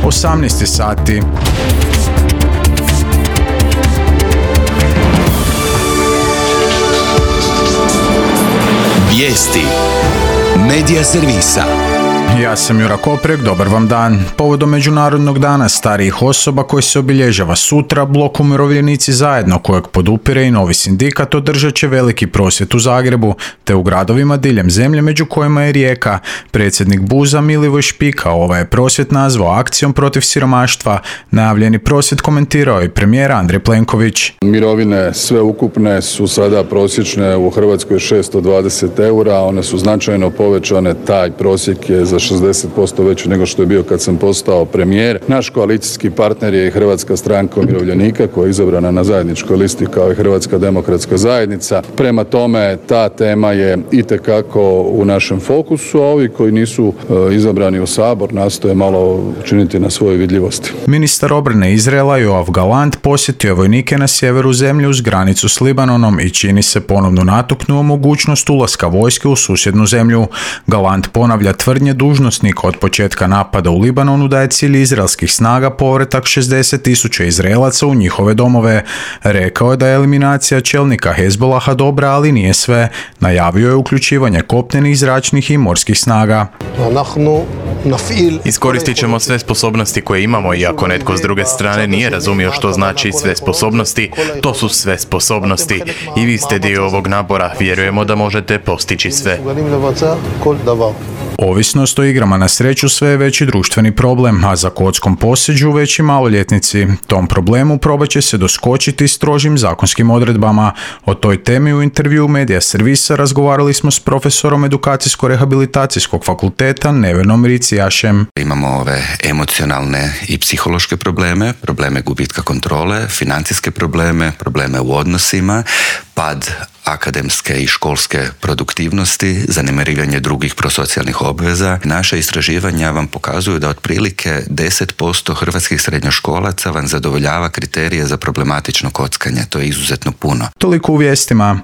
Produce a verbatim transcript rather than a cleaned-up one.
osamnaest sati. Vijesti Medija servisa. Ja sam Jura Koprek, dobar vam dan. Povodom Međunarodnog dana starijih osoba koji se obilježava sutra, Blok Umirovljenici zajedno, kojeg podupire i Novi sindikat, održat će veliki prosvjed u Zagrebu, te u gradovima diljem zemlje, među kojima je Rijeka. Predsjednik Buza Milivoj Špika ovaj je prosvjed nazvao akcijom protiv siromaštva. Najavljeni prosvjed komentirao i premijer Andrej Plenković. Mirovine sve ukupne su sada prosječne u Hrvatskoj šesto dvadeset eura, one su značajno povećane, taj prosjek je za šezdeset posto veći nego što je bio kad sam postao premijer. Naš koalicijski partner je i Hrvatska stranka umirovljenika koja je izabrana na zajedničkoj listi kao i Hrvatska demokratska zajednica. Prema tome, ta tema je itekako u našem fokusu, a ovi koji nisu e, izabrani u Sabor nastoje malo učiniti na svojoj vidljivosti. Ministar obrane Izraela Joav Galant posjetio je vojnike na sjeveru zemlje uz granicu s Libanonom i čini se ponovno natuknuo mogućnost ulaska vojske u susjednu zemlju. Galant ponavlja tvrdnje dužnosnika od početka napada u Libanonu da je cilj izraelskih snaga povratak šezdeset tisuća Izraelaca u njihove domove. Rekao je da je eliminacija čelnika Hezbolaha dobra, ali nije sve. Najavio je uključivanje kopnenih, zračnih i morskih snaga. Iskoristit ćemo sve sposobnosti koje imamo i ako netko s druge strane nije razumio što znači sve sposobnosti, to su sve sposobnosti. I vi ste dio ovog nabora, vjerujemo da možete postići sve. Ovisnost o igrama na sreću sve je veći društveni problem, a za kockom poseđu veći maloljetnici. Tom problemu probat će se doskočiti strožim zakonskim odredbama. O toj temi u intervju Medija servisa razgovarali smo s profesorom edukacijsko-rehabilitacijskog fakulteta Nevenom Ricijašem. Imamo ove emocionalne i psihološke probleme, probleme gubitka kontrole, financijske probleme, probleme u odnosima, pad akademske i školske produktivnosti, zanemarivanje drugih prosocijalnih obveza. Naša istraživanja vam pokazuju da otprilike deset posto hrvatskih srednjoškolaca vam zadovoljava kriterije za problematično kockanje. To je izuzetno puno. Toliko u vijestima.